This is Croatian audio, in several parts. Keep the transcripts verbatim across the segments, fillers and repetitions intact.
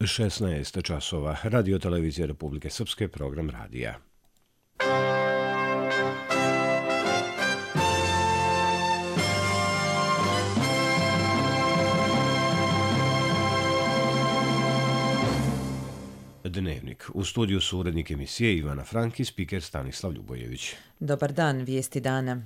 šesnaest časova. Radio televizije Republike Srpske, program radija. Dnevnik. U studiju su urednik emisije Ivana Frank i spiker Stanislav Ljubojević. Dobar dan, vijesti dana.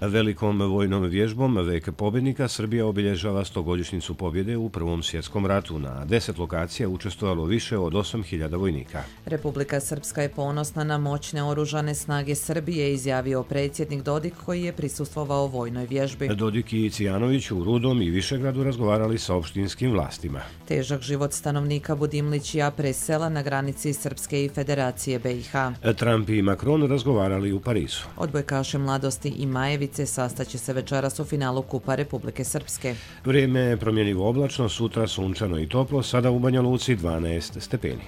Velikom vojnom vježbom Vek pobjednika Srbija obilježava stogodišnjicu pobjede u Prvom svjetskom ratu. Na deset lokacija učestvovalo više od osam hiljada vojnika. Republika Srpska je ponosna na moćne oružane snage Srbije, izjavio predsjednik Dodik koji je prisustvovao vojnoj vježbi. Dodik i Cijanović u Rudom i Višegradu razgovarali sa opštinskim vlastima. Težak život stanovnika Budimlićija presela na granici Srpske i Federacije B i H. Trump i Macron razgovarali u Parizu. Odbojkaše Mladosti i Majevice sastaće se večeras u finalu Kupa Republike Srpske. Vrijeme je promjenjivo oblačno, sutra sunčano i toplo, sada u Banja Luci dvanaest stepeni.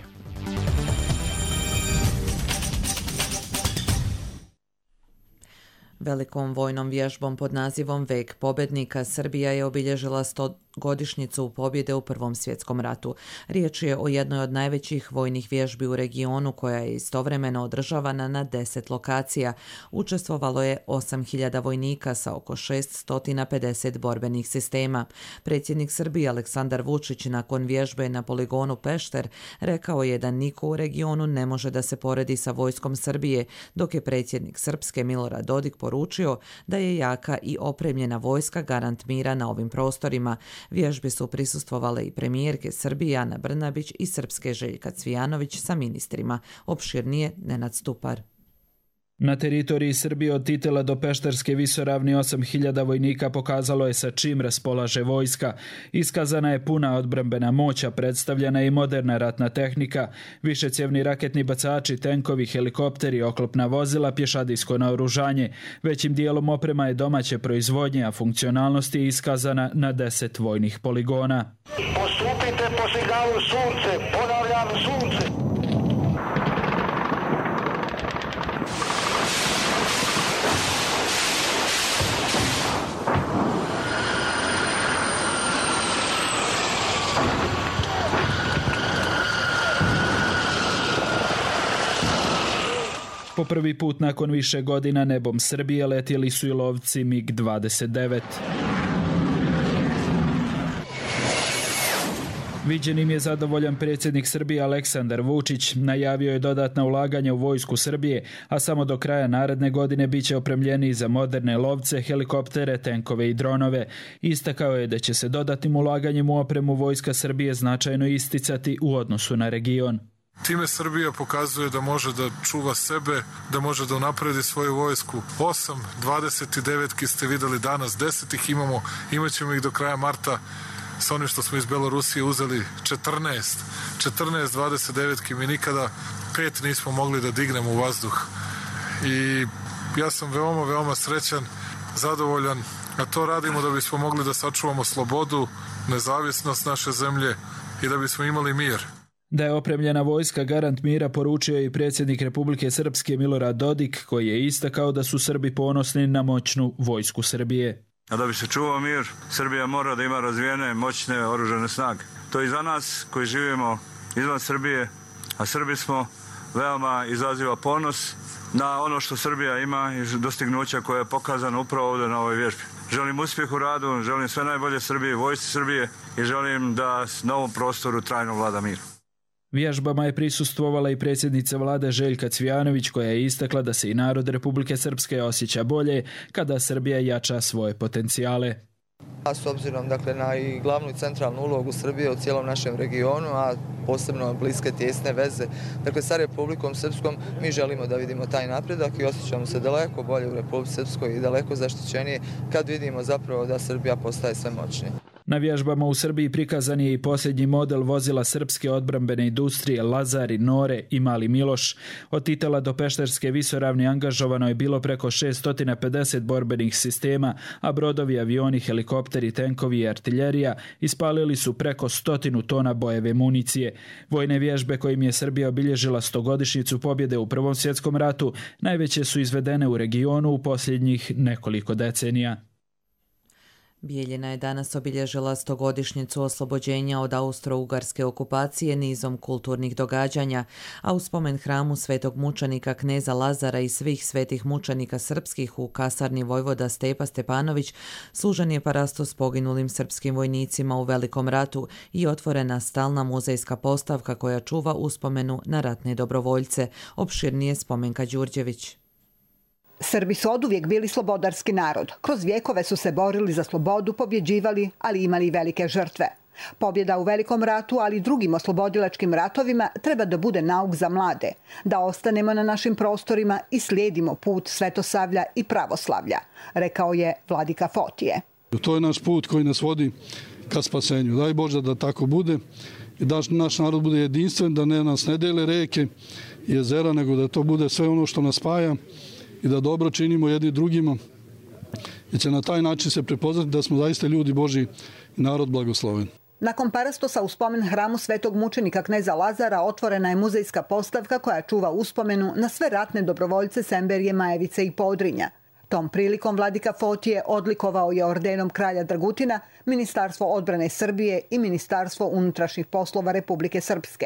Velikom vojnom vježbom pod nazivom Vek pobjednika Srbija je obilježila sto godišnjicu pobjede u Prvom svjetskom ratu. Riječ je o jednoj od najvećih vojnih vježbi u regionu koja je istovremeno održavana na deset lokacija. Učestvovalo je osam hiljada vojnika sa oko šesto pedeset borbenih sistema. Predsjednik Srbije Aleksandar Vučić nakon vježbe na poligonu Pešter rekao je da niko u regionu ne može da se poredi sa vojskom Srbije, dok je predsjednik Srpske Milorad Dodik poručio da je jaka i opremljena vojska garant mira na ovim prostorima. Vježbi su prisustvovale i premijerke Srbije Ana Brnabić i Srpske Željka Cvijanović sa ministrima. Opširnije Nenad Stupar. Na teritoriji Srbije od Titela do Pešterske visoravni osam hiljada vojnika pokazalo je sa čim raspolaže vojska. Iskazana je puna odbrambena moć, a predstavljena je i moderna ratna tehnika, višecjevni raketni bacači, tenkovi, helikopteri, oklopna vozila, pješadijsko naoružanje. Većim dijelom oprema je domaće proizvodnje, a funkcionalnost je iskazana na deset vojnih poligona. Postupite po signalu sunce, ponavljam sunce. Po prvi put nakon više godina nebom Srbije letjeli su i lovci mig dvadeset devet. Viđenim je zadovoljan predsjednik Srbije Aleksandar Vučić. Najavio je dodatna ulaganja u vojsku Srbije, a samo do kraja naredne godine bit će opremljeniji za moderne lovce, helikoptere, tenkove i dronove. Istakao je da će se dodatnim ulaganjem u opremu vojska Srbije značajno isticati u odnosu na region. Time Srbija pokazuje da može da čuva sebe, da može da unapredi svoju vojsku. osam, dvadeset devet ste videli danas, deset ih imamo, imat ćemo ih do kraja marta. Sa onim što smo iz Belorusije uzeli četrnaest, četrnaest dvadeset devet mi nikada pet nismo mogli da dignemo u vazduh. I ja sam veoma, veoma srećan, zadovoljan, a to radimo da bismo mogli da sačuvamo slobodu, nezavisnost naše zemlje i da bismo imali mir. Da je opremljena vojska garant mira poručio i predsjednik Republike Srpske Milorad Dodik, koji je istakao da su Srbi ponosni na moćnu vojsku Srbije. A da bi se čuvao mir, Srbija mora da ima razvijene, moćne oružane snage. To i za nas koji živimo izvan Srbije, a Srbi smo, veoma izaziva ponos na ono što Srbija ima i dostignuća koje je pokazano upravo ovdje na ovoj vježbi. Želim uspjeh u radu, želim sve najbolje Srbije, vojsci Srbije i želim da na ovom prostoru trajno vlada mir. Vježbama je prisustvovala i predsjednica vlade Željka Cvijanović, koja je istakla da se i narod Republike Srpske osjeća bolje kada Srbija jača svoje potencijale. A s obzirom dakle, na i glavnu i centralnu ulogu Srbije u cijelom našem regionu, a posebno bliske tijesne veze dakle, sa Republikom Srpskom, mi želimo da vidimo taj napredak i osjećamo se daleko bolje u Republici Srpskoj i daleko zaštićenije kad vidimo zapravo da Srbija postaje sve moćnije. Na vježbama u Srbiji prikazan je i posljednji model vozila srpske odbrambene industrije Lazari, Nore i Mali Miloš. Od Titela do Pešterske visoravni angažovano je bilo preko šeststo pedeset borbenih sistema, a brodovi, avioni, helikopteri, tenkovi i artiljerija ispalili su preko stotinu tona bojeve municije. Vojne vježbe kojim je Srbija obilježila stogodišnjicu pobjede u Prvom svjetskom ratu najveće su izvedene u regionu u posljednjih nekoliko decenija. Bijeljina je danas obilježila stogodišnjicu oslobođenja od austro-ugarske okupacije nizom kulturnih događanja, a u spomen hramu svetog mučenika kneza Lazara i svih svetih mučenika srpskih u kasarni vojvoda Stepa Stepanović služen je parasto s poginulim srpskim vojnicima u Velikom ratu i otvorena stalna muzejska postavka koja čuva uspomenu na ratne dobrovoljce. Opširnije Spomenka Đurđević. Srbi su oduvijek bili slobodarski narod. Kroz vjekove su se borili za slobodu, pobjeđivali, ali imali i velike žrtve. Pobjeda u Velikom ratu, ali i drugim oslobodilačkim ratovima treba da bude nauk za mlade, da ostanemo na našim prostorima i slijedimo put svetosavlja i pravoslavlja, rekao je vladika Fotije. To je naš put koji nas vodi ka spasenju. Daj Bože da tako bude i da naš narod bude jedinstven, da ne nas ne dele reke i jezera, nego da to bude sve ono što nas spaja i da dobro činimo jedni drugima i će na taj način se prepoznati da smo zaista ljudi Božji i narod blagosloven. Nakon parastosa u spomen hramu svetog mučenika kneza Lazara otvorena je muzejska postavka koja čuva uspomenu na sve ratne dobrovoljce Semberije, Majevice i Podrinja. Tom prilikom vladika Fotije odlikovao je ordenom kralja Dragutina Ministarstvo odbrane Srbije i Ministarstvo unutrašnjih poslova Republike Srpske.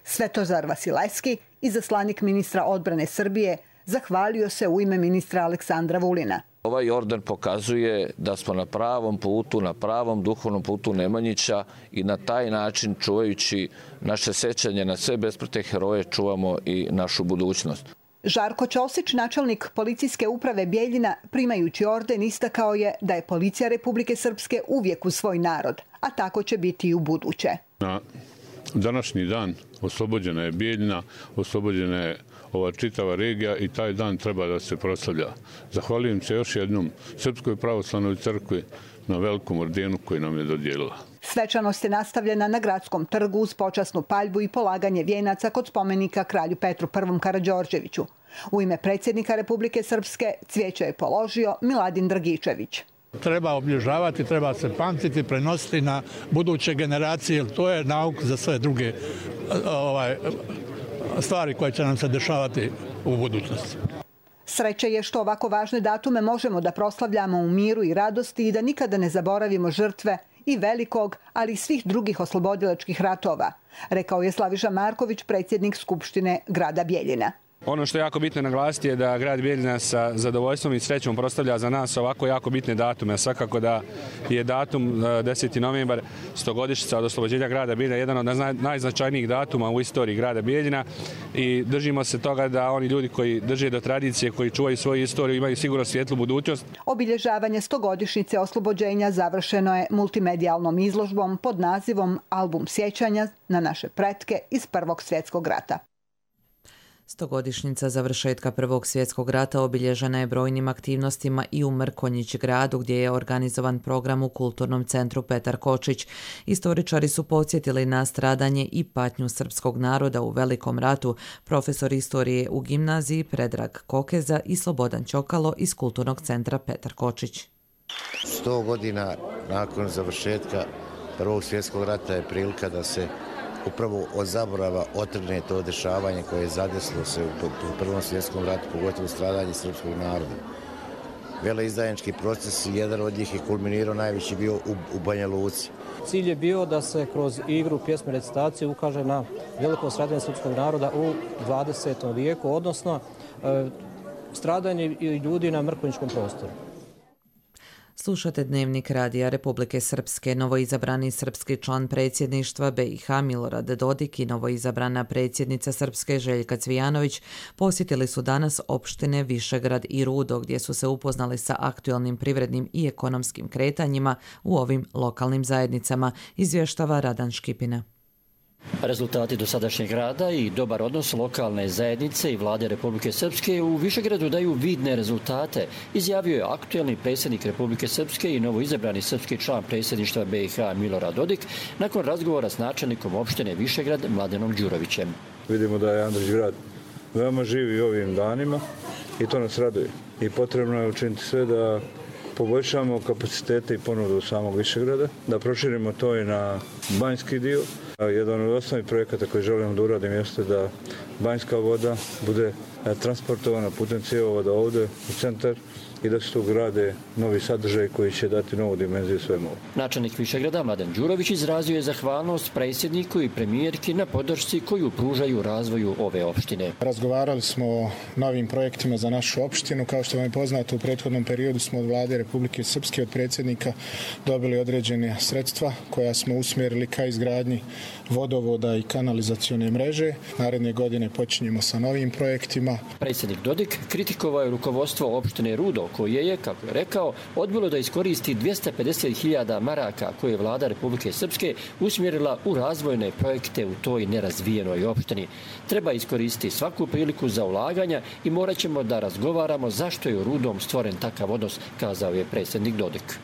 Svetozar Vasilevski, izaslanik ministra odbrane Srbije, zahvalio se u ime ministra Aleksandra Vulina. Ovaj orden pokazuje da smo na pravom putu, na pravom duhovnom putu Nemanjića i na taj način, čuvajući naše sećanje na sve besprte heroje, čuvamo i našu budućnost. Žarko Ćosić, načelnik policijske uprave Bijeljina, primajući orden, istakao je da je policija Republike Srpske uvijek uz svoj narod, a tako će biti i u buduće. Na današnji dan oslobođena je Bijeljina, oslobođena je ova čitava regija i taj dan treba da se proslavlja. Zahvaljujem se još jednom Srpskoj pravoslavnoj crkvi na velikom ordenu koji nam je dodijelila. Svečanost je nastavljena na Gradskom trgu uz počasnu paljbu i polaganje vijenaca kod spomenika kralju Petru Prvom Karađorđeviću. U ime predsjednika Republike Srpske cvijeće je položio Miladin Dragičević. Treba obilježavati, treba se pamtiti, prenositi na buduće generacije, jer to je nauk za sve druge ovaj, stvari koje će nam se dešavati u budućnosti. Sreće je što ovako važne datume možemo da proslavljamo u miru i radosti i da nikada ne zaboravimo žrtve i velikog, ali i svih drugih oslobodilačkih ratova, rekao je Slaviša Marković, predsjednik Skupštine grada Bijeljina. Ono što je jako bitno naglasiti je da grad Bijeljina sa zadovoljstvom i srećom proslavlja za nas ovako jako bitne datume. Svakako da je datum deseti novembar, stogodišnjica od oslobođenja grada Bijeljina, jedan od najznačajnijih datuma u istoriji grada Bijeljina i držimo se toga da oni ljudi koji drže do tradicije, koji čuvaju svoju istoriju, imaju sigurno svjetlu budućnost. Obilježavanje stogodišnjice oslobođenja završeno je multimedijalnom izložbom pod nazivom Album sjećanja na naše pretke iz Prvog svjetskog rata. Stogodišnjica završetka Prvog svjetskog rata obilježena je brojnim aktivnostima i u Mrkonjić gradu gdje je organizovan program u Kulturnom centru Petar Kočić. Istoričari su podsjetili na stradanje i patnju srpskog naroda u Velikom ratu, profesor istorije u gimnaziji Predrag Kokeza i Slobodan Ćokalo iz Kulturnog centra Petar Kočić. Sto godina nakon završetka Prvog svjetskog rata je prilika da se upravo od zaborava otrgne to dešavanje koje je zadesilo se u Prvom svjetskom ratu, pogotovo stradanje srpskog naroda. Veleizdajnički proces, jedan od njih je kulminirao najveći bio u, u Banja Luci. Cilj je bio da se kroz igru, pjesme, recitacije ukaže na veliko stradanje srpskog naroda u dvadesetom vijeku, odnosno e, stradanje ljudi na mrkonjičkom prostoru. Slušate Dnevnik Radija Republike Srpske. Novoizabrani srpski član predsjedništva B i H Milorad Dodik i novoizabrana predsjednica Srpske Željka Cvijanović posjetili su danas opštine Višegrad i Rudo gdje su se upoznali sa aktualnim privrednim i ekonomskim kretanjima u ovim lokalnim zajednicama, izvještava Radan Škipina. Rezultati dosadašnjeg rada i dobar odnos lokalne zajednice i vlade Republike Srpske u Višegradu daju vidne rezultate, izjavio je aktuelni predsjednik Republike Srpske i novoizabrani srpski član predsjedništva B i H Milorad Dodik nakon razgovora s načelnikom opštine Višegrad Mladenom Đurovićem. Vidimo da je Andrić grad veoma živi ovim danima i to nas raduje. I potrebno je učiniti sve da poboljšamo kapacitete i ponudu samog Višegrada, da proširimo to i na banjski dio. Jedan od osnovnih projekata koji želimo da uradim jeste da banjska voda bude transportovana putem cjevovoda ovde u centar i da se tu grade novi sadržaj koji će dati novu dimenziju svemu. Načelnik Višegrada Mladen Đurović izrazio je zahvalnost predsjedniku i premijerki na podršci koju pružaju razvoju ove opštine. Razgovarali smo o novim projektima za našu opštinu. Kao što vam je poznato, u prethodnom periodu smo od vlade Republike Srpske, od predsjednika, dobili određene sredstva koja smo usmjerili ka izgradnji vodovoda i kanalizacione mreže. Naredne godine počinjemo sa novim projektima. Predsjednik Dodik kritikovao je rukovodstvo opštine Rudo, koje je, kako je rekao, odbilo da iskoristi dvjesto pedeset hiljada maraka koje je vlada Republike Srpske usmjerila u razvojne projekte u toj nerazvijenoj opštini. Treba iskoristiti svaku priliku za ulaganja i morat ćemo da razgovaramo zašto je u Rudom stvoren takav odnos, kazao je predsjednik Dodik.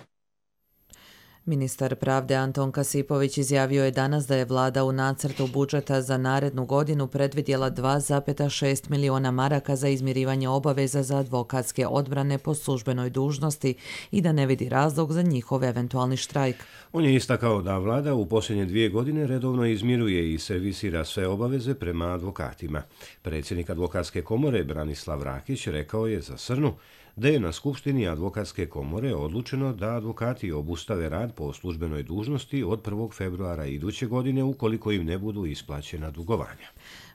Ministar pravde Anton Kasipović izjavio je danas da je vlada u nacrtu budžeta za narednu godinu predvidjela dva zarez šest miliona maraka za izmirivanje obaveza za advokatske odbrane po službenoj dužnosti i da ne vidi razlog za njihov eventualni štrajk. On je istakao da vlada u posljednje dvije godine redovno izmiruje i servisira sve obaveze prema advokatima. Predsjednik advokatske komore Branislav Rakić rekao je za Srnu da je na Skupštini advokatske komore odlučeno da advokati obustave rad po službenoj dužnosti od prvog februara iduće godine ukoliko im ne budu isplaćena dugovanja.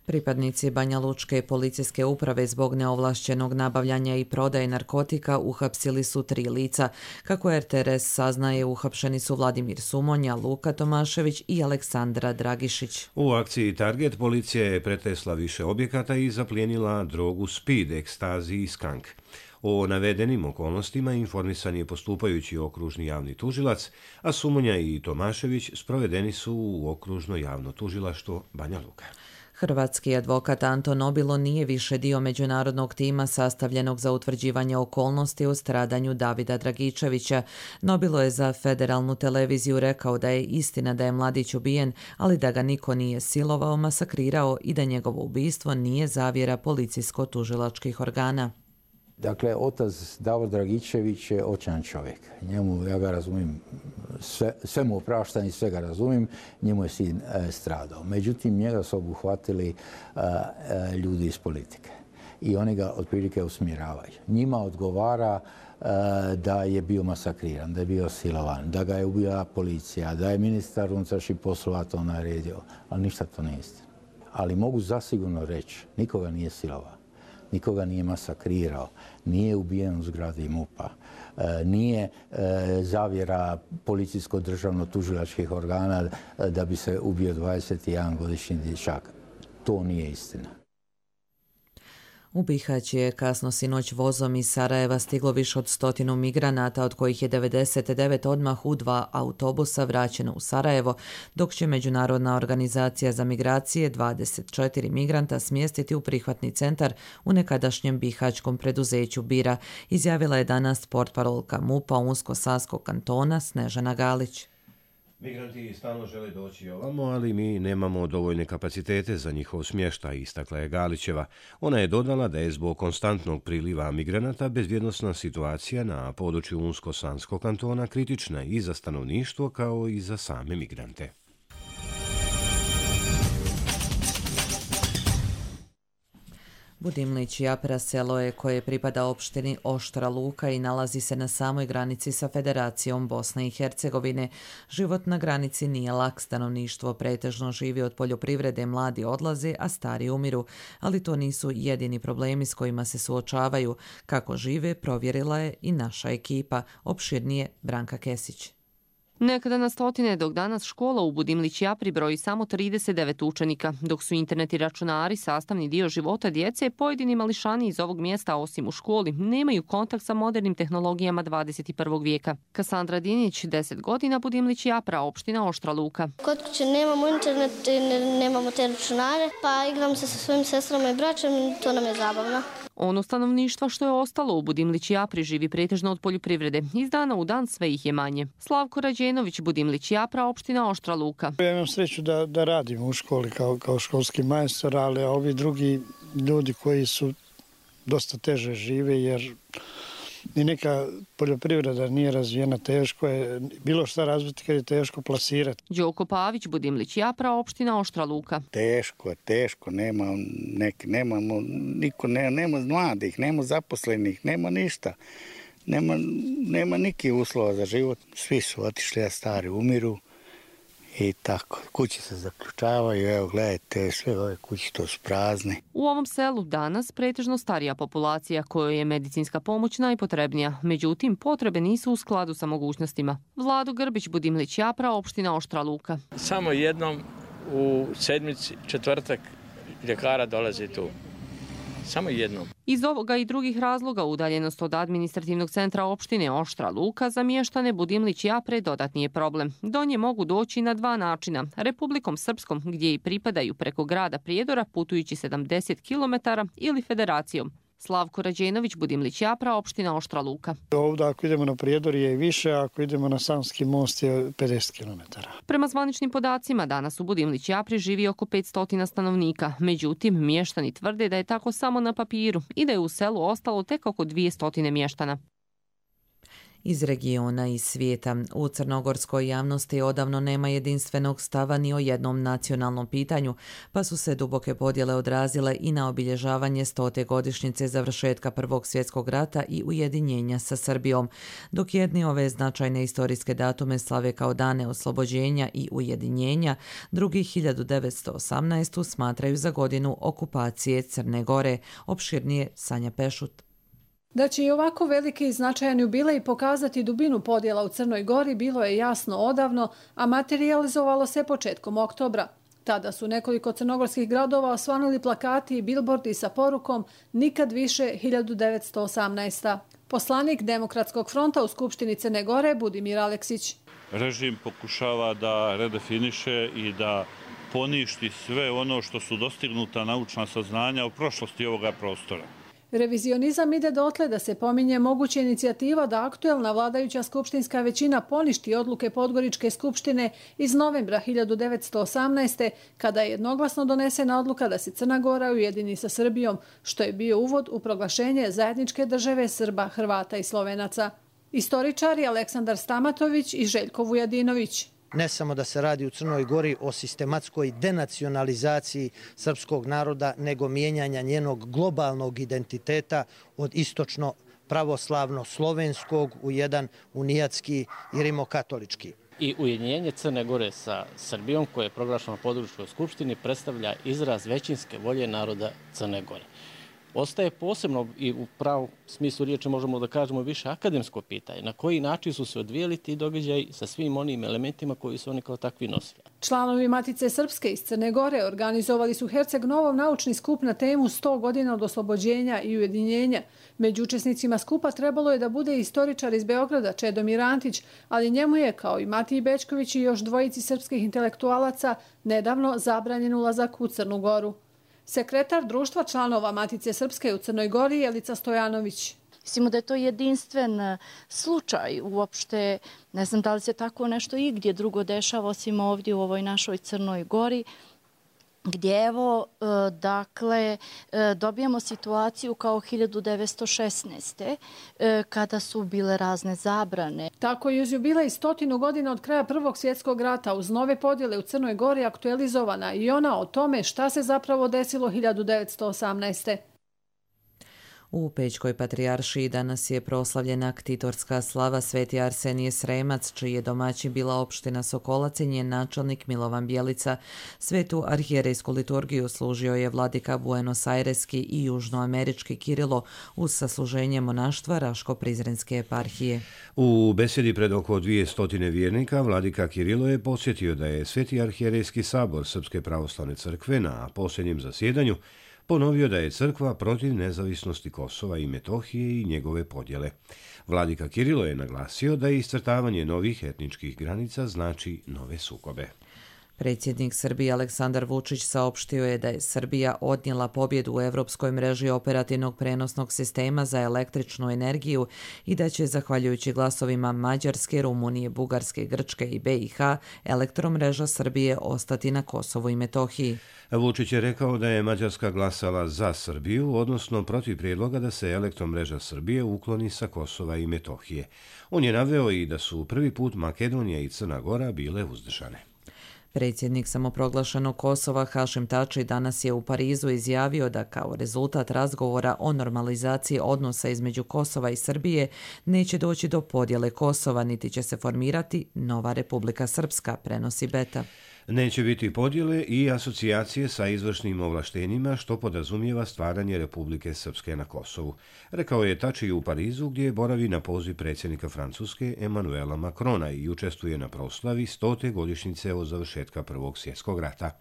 Pripadnici Banja Lučke policijske uprave zbog neovlašćenog nabavljanja i prodaje narkotika uhapsili su tri lica. Kako R T R S saznaje, uhapšeni su Vladimir Sumonja, Luka Tomašević i Aleksandra Dragišić. U akciji Target policija je pretresla više objekata i zaplijenila drogu speed, ekstazi i skank. O navedenim okolnostima informisan je postupajući okružni javni tužilac, a Sumonja i Tomašević sprovedeni su u okružno javno tužilaštvo Banja Luka. Hrvatski advokat Anton Nobilo nije više dio međunarodnog tima sastavljenog za utvrđivanje okolnosti o stradanju Davida Dragičevića. Nobilo je za federalnu televiziju rekao da je istina da je mladić ubijen, ali da ga niko nije silovao, masakrirao i da njegovo ubistvo nije zavjera policijsko-tužilačkih organa. Dakle, otac Davor Dragičević je očajan čovjek. Njemu, ja ga razumijem, sve, sve mu opraštam i sve ga razumijem, njemu je sin e, stradao. Međutim, njega su obuhvatili e, e, ljudi iz politike i oni ga otprilike usmjeravaju. Njima odgovara e, da je bio masakriran, da je bio silovan, da ga je ubila policija, da je ministar unutrašnjih poslova to naredio, ali ništa to nije istina. Ali mogu zasigurno reći, nikoga nije silovao. Nikoga nije masakrirao, nije ubijen u zgradi MUP-a, nije zavjera policijsko-državno-tužilačkih organa da bi se ubio dvadeset jedan godišnji dječak. To nije istina. U Bihać je kasno sinoć vozom iz Sarajeva stiglo više od stotinu migranata, od kojih je devedeset devet odmah u dva autobusa vraćeno u Sarajevo, dok će Međunarodna organizacija za migracije dvadeset četiri migranta smjestiti u prihvatni centar u nekadašnjem bihaćkom preduzeću Bira, izjavila je danas portparolka MUP-a Unsko-Sanskog kantona Snežana Galić. Migranti stalno žele doći ovamo, ali mi nemamo dovoljne kapacitete za njihov smještaj, istakla je Galićeva. Ona je dodala da je zbog konstantnog priliva migranata bezbjednosna situacija na području Unsko-Sanskog kantona kritična i za stanovništvo kao i za same migrante. Budimlić Japra selo je koje pripada opštini Oštra Luka i nalazi se na samoj granici sa Federacijom Bosne i Hercegovine. Život na granici nije lak, stanovništvo pretežno živi od poljoprivrede, mladi odlaze, a stari umiru. Ali to nisu jedini problemi s kojima se suočavaju. Kako žive, provjerila je i naša ekipa. Opširnije Branka Kesić. Nekada na stotine, dok danas škola u Budimlić Japri broji samo trideset devet učenika. Dok su internet i računari sastavni dio života djece, pojedini mališani iz ovog mjesta, osim u školi, nemaju kontakt sa modernim tehnologijama dvadeset prvog vijeka. Kasandra Dinić, deset godina, Budimlić Japra, opština Oštra Luka. Kod kuće nemamo internet, nemamo te računare, pa igram se sa svojim sestrama i braćom i to nam je zabavno. Ono stanovništva što je ostalo u Budimlić Japri živi pretežno od poljoprivrede. Iz dana u dan sve ih je manje. Slavko Rađenović, Budimlić Japra, opština Oštra Luka. Ja imam sreću da, da radim u školi kao, kao školski majstor, ali ovi drugi ljudi koji su dosta teže žive jer ni neka poljoprivreda nije razvijena, teško je bilo šta razviti kad je teško plasirati. Đoko Pavić, Budimlić Japra, opština Oštra Luka. Teško, teško, nema nek, nemamo, niko, ne, nema mladih, nema zaposlenih, nema ništa. Nema, nema nikih uslova za život. Svi su otišli, a stari umiru i tako. Kuće se zaključavaju, evo gledajte, sve ove kuće to su prazne. U ovom selu danas pretežno starija populacija kojoj je medicinska pomoć najpotrebnija. Međutim, potrebe nisu u skladu sa mogućnostima. Vlado Grbić, Budimlić Japra, opština Oštra Luka. Samo jednom u sedmici, četvrtak, ljekara dolazi tu. Samo jednom. Iz ovoga i drugih razloga udaljenost od administrativnog centra opštine Oštra Luka za mještane Budimlić Japre dodatni je problem. Do nje mogu doći na dva načina. Republikom Srpskom, gdje i pripadaju preko grada Prijedora putujući sedamdeset kilometara, ili Federacijom. Slavko Rađenović, Budimlić Japra, opština Oštra Luka. Ovdje ako idemo na Prijedor je i više, a ako idemo na Savski most je pedeset kilometara. Prema zvaničnim podacima, danas u Budimlić Japri živi oko petsto stanovnika. Međutim, mještani tvrde da je tako samo na papiru i da je u selu ostalo tek oko dvjesto mještana. Iz regiona i svijeta. U crnogorskoj javnosti odavno nema jedinstvenog stava ni o jednom nacionalnom pitanju, pa su se duboke podjele odrazile i na obilježavanje stote godišnjice završetka Prvog svjetskog rata i ujedinjenja sa Srbijom. Dok jedni ove značajne istorijske datume slave kao dane oslobođenja i ujedinjenja, drugi hiljadu devetsto osamnaestu smatraju za godinu okupacije Crne Gore. Opširnije Sanja Pešut. Da će i ovako veliki i značajan jubilej pokazati dubinu podjela u Crnoj Gori bilo je jasno odavno, a materijalizovalo se početkom oktobra. Tada su nekoliko crnogorskih gradova osvanuli plakati i bilbordi sa porukom "Nikad više hiljadu devetsto osamnaesta. Poslanik Demokratskog fronta u Skupštini Crne Gore Budimir Aleksić. Režim pokušava da redefiniše i da poništi sve ono što su dostignuta naučna saznanja u prošlosti ovoga prostora. Revizionizam ide dotle da se pominje moguća inicijativa da aktuelna vladajuća skupštinska većina poništi odluke Podgoričke skupštine iz novembra hiljadu devetsto osamnaeste. kada je jednoglasno donesena odluka da se Crna Gora ujedini sa Srbijom, što je bio uvod u proglašenje zajedničke države Srba, Hrvata i Slovenaca. Istoričari Aleksandar Stamatović i Željko Vujadinović. Ne samo da se radi u Crnoj Gori o sistematskoj denacionalizaciji srpskog naroda, nego mijenjanja njenog globalnog identiteta od istočno pravoslavno-slovenskog u jedan unijatski i rimokatolički. I ujedinjenje Crne Gore sa Srbijom, koje je proglašeno na Podgoričkoj skupštini, predstavlja izraz većinske volje naroda Crne Gore. Ostaje posebno i u pravom smislu riječi možemo da kažemo više akademsko pitanje. Na koji način su se odvijeli ti događaji sa svim onim elementima koji su oni kao takvi nosili. Članovi Matice Srpske iz Crne Gore organizovali su Herceg Novom naučni skup na temu sto godina od oslobođenja i ujedinjenja. Među učesnicima skupa trebalo je da bude istoričar iz Beograda Čedomir Antić, ali njemu je, kao i Matiji Bečković i još dvojici srpskih intelektualaca, nedavno zabranjen ulazak u Crnu Goru. Sekretar društva članova Matice Srpske u Crnoj Gori Jelica Stojanović. Mislimo da je to jedinstven slučaj uopšte. Ne znam da li se tako nešto i gdje drugo dešava osim ovdje u ovoj našoj Crnoj Gori, gdje evo, dakle, dobijamo situaciju kao hiljadu devetsto šesnaeste. kada su bile razne zabrane. Tako je uz jubilej stotinu godina od kraja Prvog svjetskog rata uz nove podjele u Crnoj Gori aktualizovana i ona o tome šta se zapravo desilo hiljadu devetsto osamnaeste. U Pećkoj patrijaršiji danas je proslavljena ktitorska slava Sveti Arsenije Sremac, čiji je domaćin bila opština Sokolac i njen načelnik Milovan Bjelica. Svetu arhijerejsku liturgiju služio je vladika buenosairski i južnoamerički Kirilo uz sasluženje monaštva Raško-Prizrenske eparhije. U besedi pred oko dvije stotine vjernika vladika Kirilo je podsjetio da je Sveti arhijerejski sabor Srpske pravoslavne crkve na posljednjem zasjedanju ponovio da je crkva protiv nezavisnosti Kosova i Metohije i njegove podjele. Vladika Kirilo je naglasio da iscrtavanje novih etničkih granica znači nove sukobe. Predsjednik Srbije Aleksandar Vučić saopštio je da je Srbija odnijela pobjedu u Evropskoj mreži operativnog prenosnog sistema za električnu energiju i da će, zahvaljujući glasovima Mađarske, Rumunije, Bugarske, Grčke i B i H, elektromreža Srbije ostati na Kosovu i Metohiji. Vučić je rekao da je Mađarska glasala za Srbiju, odnosno protiv prijedloga da se elektromreža Srbije ukloni sa Kosova i Metohije. On je naveo i da su prvi put Makedonija i Crna Gora bile uzdržane. Predsjednik samoproglašenog Kosova Hašim Tači danas je u Parizu izjavio da kao rezultat razgovora o normalizaciji odnosa između Kosova i Srbije neće doći do podjele Kosova, niti će se formirati nova Republika Srpska, prenosi Beta. Neće biti podjele i asocijacije sa izvršnim ovlaštenjima, što podrazumijeva stvaranje Republike Srpske na Kosovu, rekao je Tači u Parizu, gdje boravi na poziv predsjednika Francuske Emanuela Macrona i učestvuje na proslavi stote godišnjice od završetka Prvog svjetskog rata.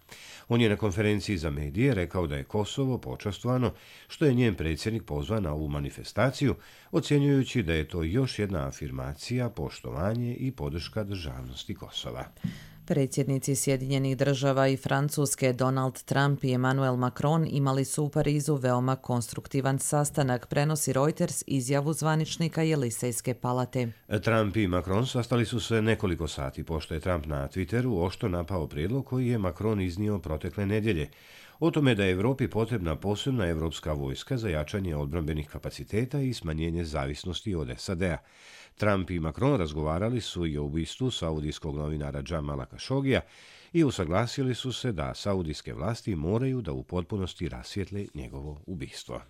On je na konferenciji za medije rekao da je Kosovo počastvovano što je njen predsjednik pozvan na ovu manifestaciju, ocjenjujući da je to još jedna afirmacija, poštovanje i podrška državnosti Kosova. Predsjednici Sjedinjenih država i Francuske Donald Trump i Emmanuel Macron imali su u Parizu veoma konstruktivan sastanak, prenosi Reuters izjavu zvaničnika Jelisejske palate. Trump i Macron sastali su se nekoliko sati, pošto je Trump na Twitteru oštro napao prijedlog koji je Macron iznio protekle nedjelje. O tome da je Evropi potrebna posebna evropska vojska za jačanje odbrambenih kapaciteta i smanjenje zavisnosti od S A D-a. Trump i Macron razgovarali su i o ubistvu saudijskog novinara Jamala Khashogija i usaglasili su se da saudijske vlasti moraju da u potpunosti rasvijetle njegovo ubistvo.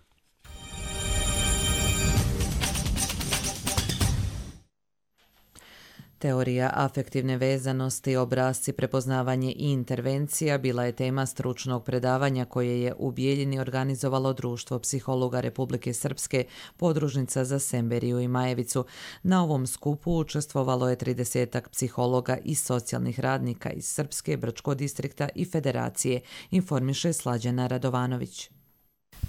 Teorija afektivne vezanosti, obrasci, prepoznavanje i intervencija bila je tema stručnog predavanja koje je u Bijeljini organizovalo Društvo psihologa Republike Srpske, podružnica za Semberiju i Majevicu. Na ovom skupu učestvovalo je tridesetak psihologa i socijalnih radnika iz Srpske, Brčkog distrikta i Federacije, informiše Slađana Radovanović.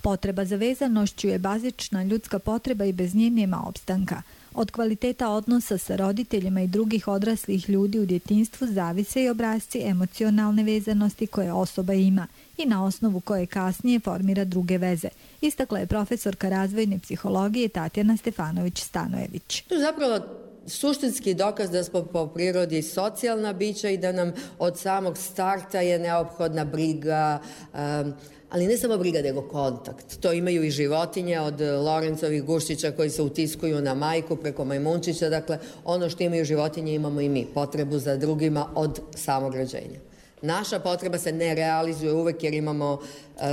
Potreba za vezanošću je bazična ljudska potreba i bez nje nema opstanka. Od kvaliteta odnosa sa roditeljima i drugih odraslih ljudi u djetinjstvu zavise i obrasci emocionalne vezanosti koje osoba ima i na osnovu koje kasnije formira druge veze, istakla je profesorka razvojne psihologije Tatjana Stefanović-Stanojević. To je zapravo suštinski dokaz da smo po prirodi socijalna bića i da nam od samog starta je neophodna briga, um, ali ne samo briga, nego kontakt. To imaju i životinje, od Lorencovih guščića koji se utiskuju na majku preko majmunčića. Dakle, ono što imaju životinje imamo i mi, potrebu za drugima od samog rođenja. Naša potreba se ne realizuje uvek jer imamo uh,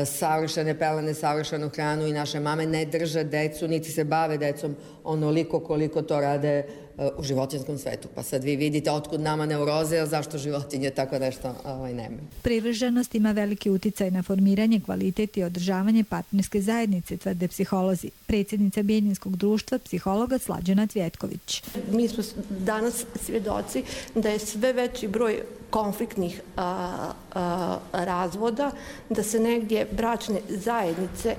savršene pelene, savršenu hranu i naše mame ne drže decu, niti se bave decom onoliko koliko to rade uh, u životinskom svetu. Pa sad vi vidite otkud nama neuroze, a zašto životinje tako nešto ovaj, nemaju. Privrženost ima veliki uticaj na formiranje, kvalitet i održavanje partnerske zajednice, tvrde psiholozi. Predsjednica Bijeljinskog društva psihologa Slađana Cvjetković. Mi smo danas svjedoci da je sve veći broj konfliktnih a, a, razvoda, da se negdje bračne zajednice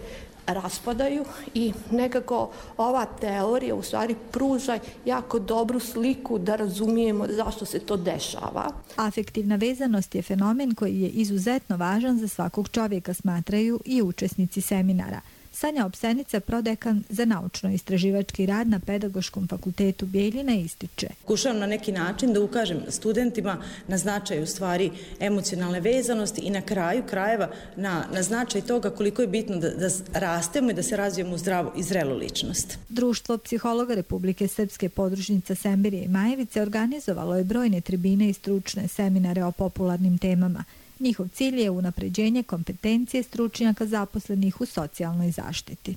raspadaju i nekako ova teorija u stvari pruža jako dobru sliku da razumijemo zašto se to dešava. Afektivna vezanost je fenomen koji je izuzetno važan za svakog čovjeka, smatraju i učesnici seminara. Sanja Opsenica, prodekan za naučno-istraživački rad na Pedagoškom fakultetu Bijeljina, ističe. Pokušavam na neki način da ukažem studentima na značaj u stvari emocionalne vezanosti i na kraju krajeva na, na značaj toga koliko je bitno da, da rastemo i da se razvijemo u zdravu i zrelu ličnost. Društvo psihologa Republike Srpske, podružnica Semberije i Majevice, organizovalo je brojne tribine i stručne seminare o popularnim temama. Njihov cilj je unapređenje kompetencije stručnjaka zaposlenih u socijalnoj zaštiti.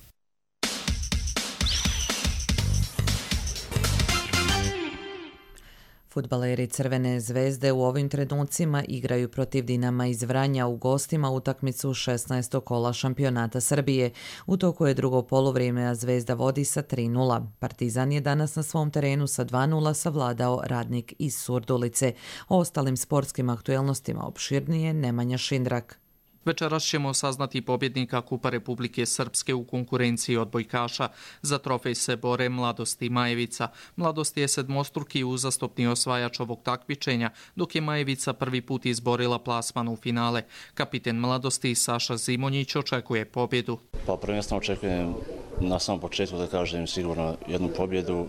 Fudbaleri Crvene zvezde u ovim trenucima igraju protiv Dinama iz Vranja u gostima utakmicu šesnaestog kola šampionata Srbije. U toku je drugo poluvrijeme, a Zvezda vodi sa tri nula. Partizan je danas na svom terenu sa dva nula savladao Radnik iz Surdulice. O ostalim sportskim aktuelnostima opširnije Nemanja Šindrak. Večeras ćemo saznati pobjednika Kupa Republike Srpske u konkurenciji odbojkaša. Za trofej se bore Mladost i Majevica. Mladost je sedmostruki uzastopni osvajač ovog takmičenja, dok je Majevica prvi put izborila plasman u finale. Kapiten Mladosti Saša Zimonjić očekuje pobjedu. Pa prvenstveno očekujem na samom početku da kažem sigurno jednu pobjedu.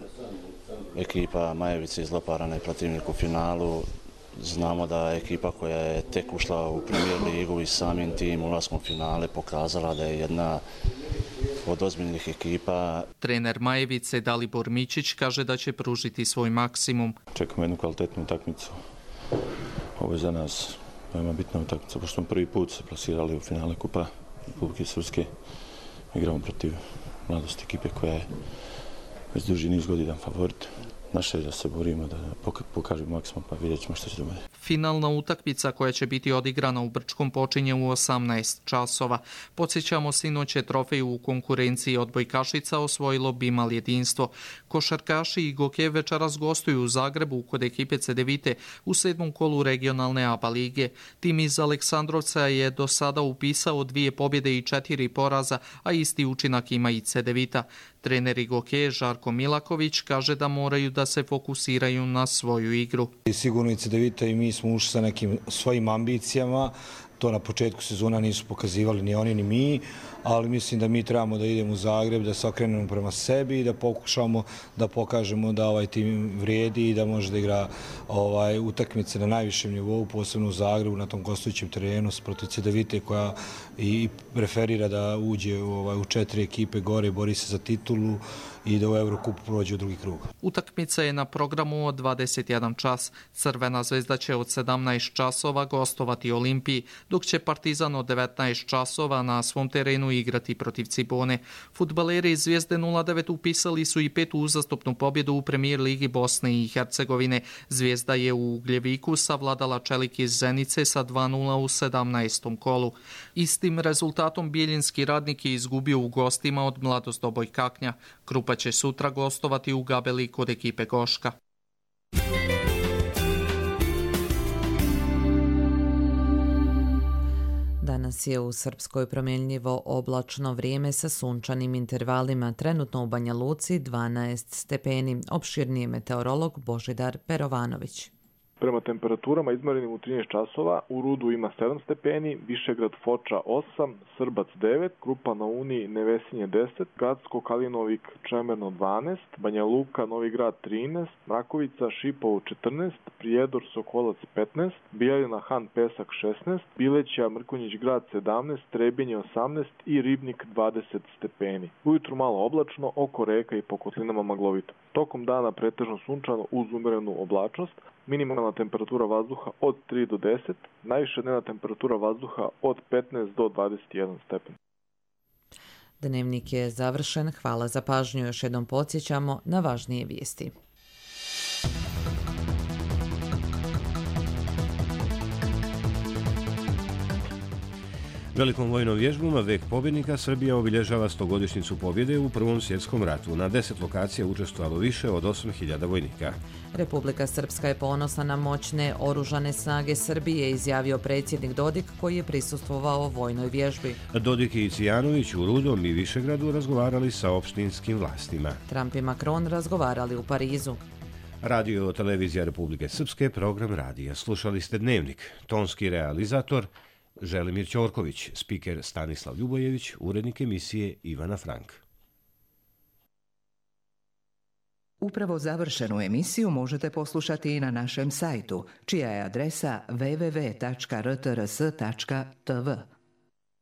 Ekipa Majevice izloparana je protivnik u finalu. Znamo da je ekipa koja je tek ušla u Premier ligu i samim tim ulaskom u finale pokazala da je jedna od ozbiljnih ekipa. Trener Majevice Dalibor Mićić kaže da će pružiti svoj maksimum. Čekamo jednu kvalitetnu utakmicu. Ovo je za nas veoma bitna utakmica, pošto smo prvi put se plasirali u finale Kupa Republike Srpske. Igramo protiv Mladosti, ekipe koja je već duži niz godina favorit. Naše je da se borimo, da pokažemo maksimum, pa vidjet ćemo što će dogoditi. Finalna utakmica koja će biti odigrana u Brčkom počinje u osamnaest časova. Podsjećamo, sinoć je trofej u konkurenciji odbojkašica osvojilo Bimal jedinstvo. Košarkaši i Goke večeras gostuju u Zagrebu kod ekipe Cedevite u sedmom kolu regionalne A B A lige. Tim iz Aleksandrovca je do sada upisao dvije pobjede i četiri poraza, a isti učinak ima i Cedevita. Trener Goke Žarko Milaković kaže da moraju da se fokusiraju na svoju igru. Sigurno i Cedevita i mi smo ušli sa nekim svojim ambicijama. To na početku sezona nisu pokazivali ni oni ni mi, ali mislim da mi trebamo da idemo u Zagreb, da se okrenemo prema sebi i da pokušamo da pokažemo da ovaj tim vrijedi i da može da igra ovaj, utakmice na najvišem nivou, posebno u Zagrebu, na tom gostujućem terenu protiv Cedevite koja i preferira da uđe ovaj, u četiri ekipe gore, bori se za titulu i da u Eurokupu prođe u drugi krug. Utakmica je na programu od dvadeset jedan čas. Crvena zvezda će od sedamnaest časova gostovati Olimpiji, dok će Partizan od devetnaest časova na svom terenu igrati protiv Cibone. Fudbaleri iz Zvijezde nula devet upisali su i petu uzastopnu pobjedu u Premier ligi Bosne i Hercegovine. Zvijezda je u Ugljeviku savladala Čelik iz Zenice sa dva nula u sedamnaestom kolu. Istim rezultatom Bijeljinski Radnik je izgubio u gostima od Mladost Obojkaknja. Grupa će sutra gostovati u Gabeli kod ekipe Goška. Danas je u Srpskoj promjenljivo oblačno vrijeme sa sunčanim intervalima, trenutno u Banja Luci dvanaest stepeni. Opširniji meteorolog Božidar Perovanović. Prema temperaturama izmjerenim u trinaest časova, u Rudu ima sedam stepeni, Višegrad Foča osam, Srbac devet, Krupa na Uni Nevesinje deset, Gacko Kalinovik Čemerno dvanaest, Banja Luka Novi Grad trinaest, Mrakovica Šipovo četrnaest, Prijedor Sokolac petnaest, Bijeljina Han Pesak šesnaest, Bileća Mrkonjić Grad sedamnaest, Trebinje osamnaest i Ribnik dvadeset stepeni. Ujutru malo oblačno, oko reka i po kotlinama maglovito. Tokom dana pretežno sunčano uz umerenu oblačnost, minimalna temperatura vazduha od tri do deset, najviša dnevna temperatura vazduha od petnaest do dvadeset jedan stepen. Dnevnik je završen. Hvala za pažnju. Još jednom podsjećamo na važnije vijesti. Velikom vojnom vježbom Vek pobjednika Srbija obilježava stogodišnjicu pobjede u Prvom svjetskom ratu. Na deset lokacija učestvovalo više od osam hiljada vojnika. Republika Srpska je ponosna na moćne oružane snage Srbije, izjavio predsjednik Dodik koji je prisustvovao vojnoj vježbi. Dodik i Cijanović u Rudom i Višegradu razgovarali sa opštinskim vlastima. Trump i Macron razgovarali u Parizu. Radio televizija Republike Srpske, program radija. Slušali ste Dnevnik. Tonski realizator Želimir Ćorković, spiker Stanislav Ljubojević, urednik emisije Ivana Frank. Upravo završenu emisiju možete poslušati i na našem sajtu, čija je adresa w w w tačka r t r s tačka t v.